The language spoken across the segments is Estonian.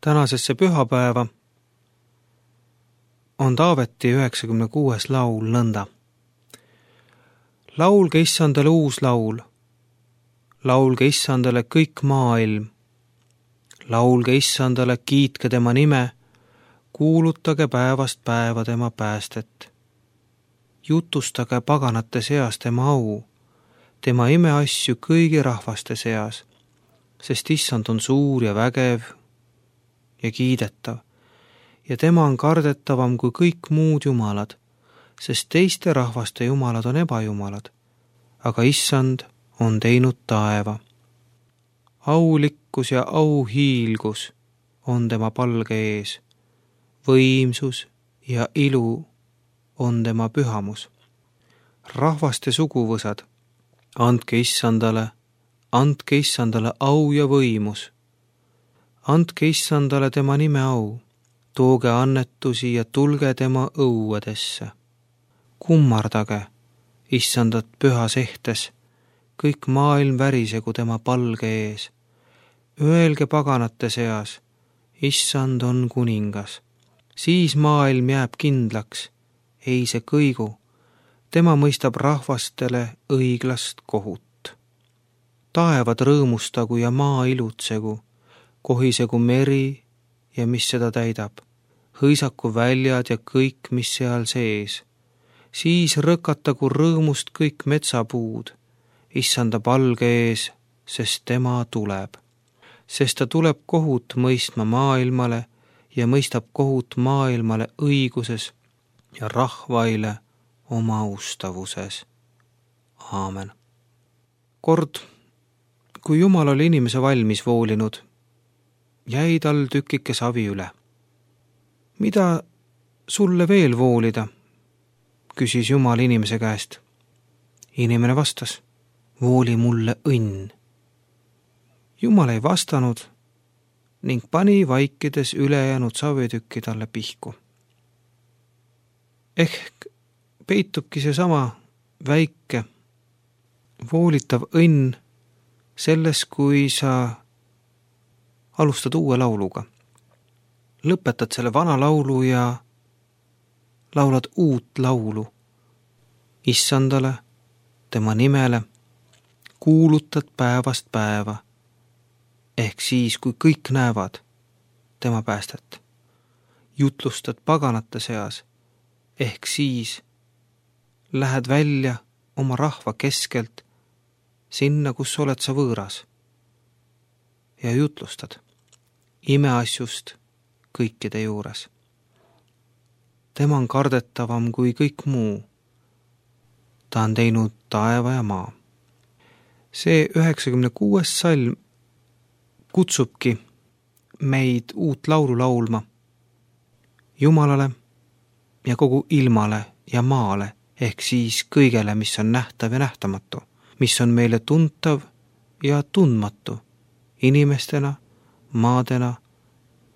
Tänasesse pühapäeva on Taaveti 96. laul nõnda. Laulge Issandale uus laul, laulge Issandale kõik maailm, laulge Issandale, kiitke tema nime, kuulutage päevast päeva tema päästet. Jutustage paganate seas tema au, tema imeasju kõigi rahvaste seas, sest Issand on suur ja vägev ja kiidetav, ja tema on kardetavam kui kõik muud jumalad, sest teiste rahvaste jumalad on ebajumalad, aga Issand on teinud taeva. Aulikkus ja auhiilgus on tema palge ees, võimsus ja ilu on tema pühamus. Rahvaste suguvõsad, andke Issandale au ja võimus. Andke Issandale tema nime au, tooge annetusi ja tulge tema õuedesse. Kummardage Issandat pühas ehtes, kõik maailm värisegu tema palge ees. Öelge paganate seas, Issand on kuningas. Siis maailm jääb kindlaks, ei see kõigu, tema mõistab rahvastele õiglast kohut. Taevad rõõmustagu ja maa ilutsegu, kohisegu meri ja mis seda täidab, hõisaku väljad ja kõik, mis seal sees. Siis rõkatagu rõõmust kõik metsapuud, Issanda palge ees, sest tema tuleb. Sest ta tuleb kohut mõistma maailmale ja mõistab kohut maailmale õiguses ja rahvaile oma austavuses. Aamen. Kord, kui Jumal oli inimese valmis voolinud, jäi tal tükike savi üle. Mida sulle veel voolida? Küsis Jumal inimese käest. Inimene vastas, vooli mulle õnn. Jumal ei vastanud ning pani vaikides ülejäänud savitükki talle pihku. Ehk peitubki seesama väike voolitav õnn selles, kui sa alustad uue lauluga. Lõpetad selle vana laulu ja laulad uut laulu. Issandale, tema nimele, kuulutad päevast päeva, ehk siis, kui kõik näevad tema päästet. Jutlustad paganate seas, ehk siis lähed välja oma rahva keskelt sinna, kus oled sa võõras ja jutlustad imeasjust kõikide juures. Tema on kardetavam kui kõik muu. Ta on teinud taeva ja maa. See 96. salm kutsubki meid uut laulu laulma Jumalale ja kogu ilmale ja maale, ehk siis kõigele, mis on nähtav ja nähtamatu, mis on meile tuntav ja tundmatu, inimestena, maadena,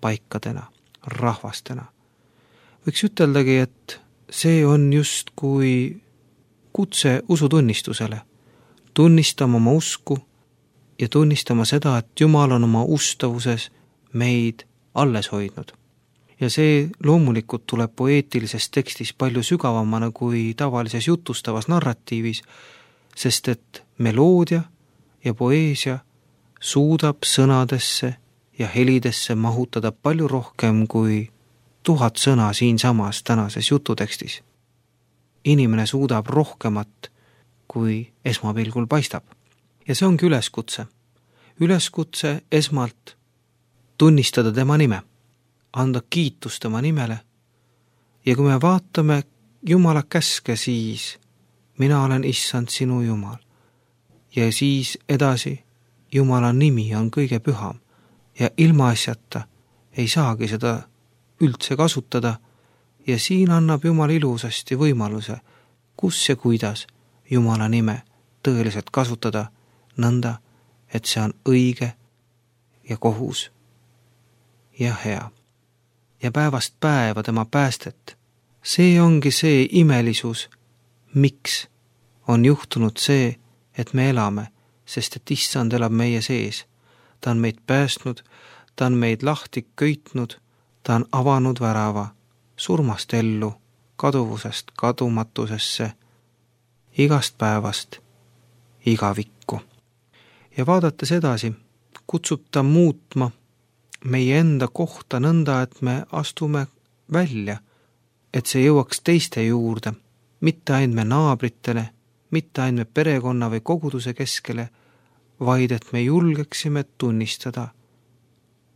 paikadena, rahvastena. Võiks üteldagi, et see on just kui kutse usutunnistusele, tunnistama oma usku ja tunnistama seda, et Jumal on oma ustavuses meid alles hoidnud. Ja see loomulikult tuleb poeetilises tekstis palju sügavamana kui tavalises jutustavas narratiivis, sest et meloodia ja poeesia suudab sõnadesse ja helidesse mahutada palju rohkem kui 1000 sõna siinsamas tänases jututekstis. Inimene suudab rohkemat, kui esmapilgul paistab. Ja see ongi üleskutse. Üleskutse esmalt tunnistada tema nime, anda kiitus tema nimele. Ja kui me vaatame Jumala käske, siis mina olen Issand sinu Jumal. Ja siis edasi Jumala nimi on kõige püham ja ilmaasjata ei saagi seda üldse kasutada ja siin annab Jumal ilusasti võimaluse, kus ja kuidas Jumala nime tõeliselt kasutada nõnda, et see on õige ja kohus ja hea. Ja päevast päeva tema päästet. See ongi see imelisus, miks on juhtunud see, et me elame, sest et Issand elab meie sees. Ta on meid päästnud, ta on meid lahti köitnud, ta on avanud värava surmast ellu, kaduvusest kadumatusesse, igast päevast igavikku. Ja vaadates edasi, kutsub ta muutma meie enda kohta nõnda, et me astume välja, et see jõuaks teiste juurde, mitte ainult me naabritele, mitte ainult me perekonna või koguduse keskele, vaid et me julgeksime tunnistada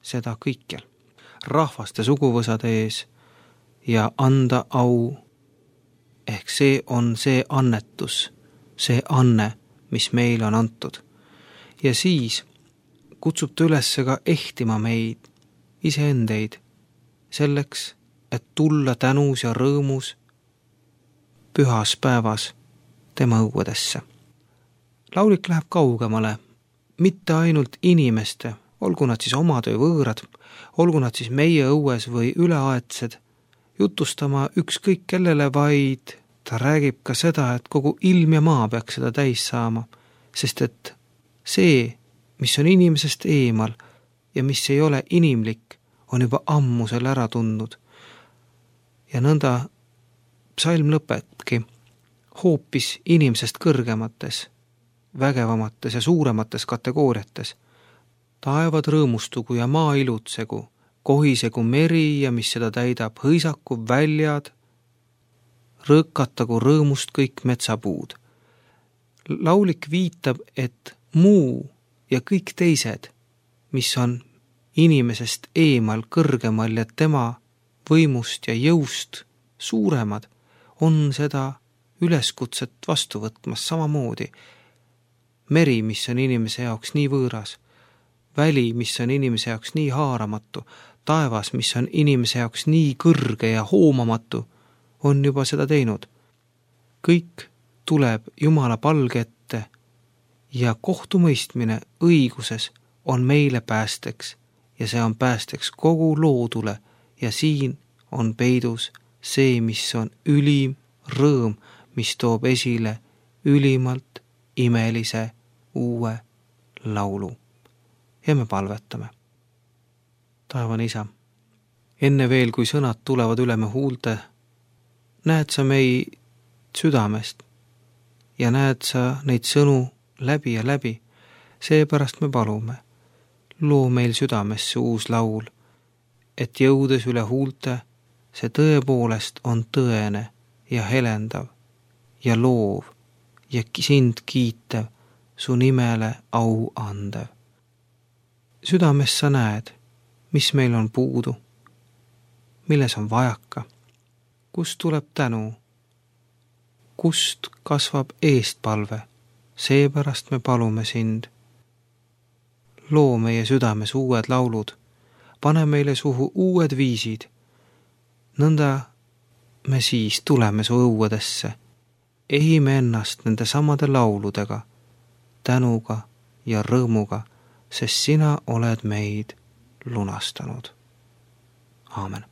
seda kõikjal, rahvaste suguvõsade ees ja anda au. Ehk see on see annetus, see anne, mis meile on antud. Ja siis kutsub ta üles ka ehtima meid, iseendeid, selleks, et tulla tänus ja rõõmus pühas päevas tema õuedesse. Laulik läheb kaugemale, mitte ainult inimeste, olgu nad siis omad või võõrad, olgu nad siis meie õues või üleaedsed, jutustama ükskõik kellele, vaid ta räägib ka seda, et kogu ilm ja maa peaks seda täis saama, sest et see, mis on inimesest eemal ja mis ei ole inimlik, on juba ammu selle ära tundnud. Ja nõnda psalm lõpebki hoopis inimesest kõrgemates, vägevamates ja suuremates kategooriates. Taevad rõõmustugu ja maa ilutsegu, kohisegu meri ja mis seda täidab, hõisaku väljad, rõõkatagu rõõmust kõik metsapuud. Laulik viitab, et muu ja kõik teised, mis on inimesest eemal, kõrgemal ja tema võimust ja jõust suuremad, on seda üleskutset vastu võtmas samamoodi. Meri, mis on inimese jaoks nii võõras, väli, mis on inimese jaoks nii haaramatu, taevas, mis on inimese jaoks nii kõrge ja hoomamatu, on juba seda teinud. Kõik tuleb Jumala palge ette ja kohtumõistmine õiguses on meile päästeks ja see on päästeks kogu loodule ja siin on peidus see, mis on ülim rõõm, mis toob esile ülimalt imelise uue laulu. Ja me palvetame. Taevane Isa, enne veel, kui sõnad tulevad üle me huulte, näed sa meid südamest ja näed sa neid sõnu läbi ja läbi, seepärast me palume, loo meil südamesse uus laul, et jõudes üle huulte, see tõepoolest on tõene ja helendav ja loov ja sind kiitev, su nimele au andev. Südames sa näed, mis meil on puudu, milles on vajaka, kust tuleb tänu, kust kasvab eestpalve, seepärast me palume sind. Loo meie südames uued laulud, pane meile suhu uued viisid, nõnda me siis tuleme su õuedesse, ehime ennast nende samade lauludega, tänuga ja rõõmuga, sest sina oled meid lunastanud. Aamen.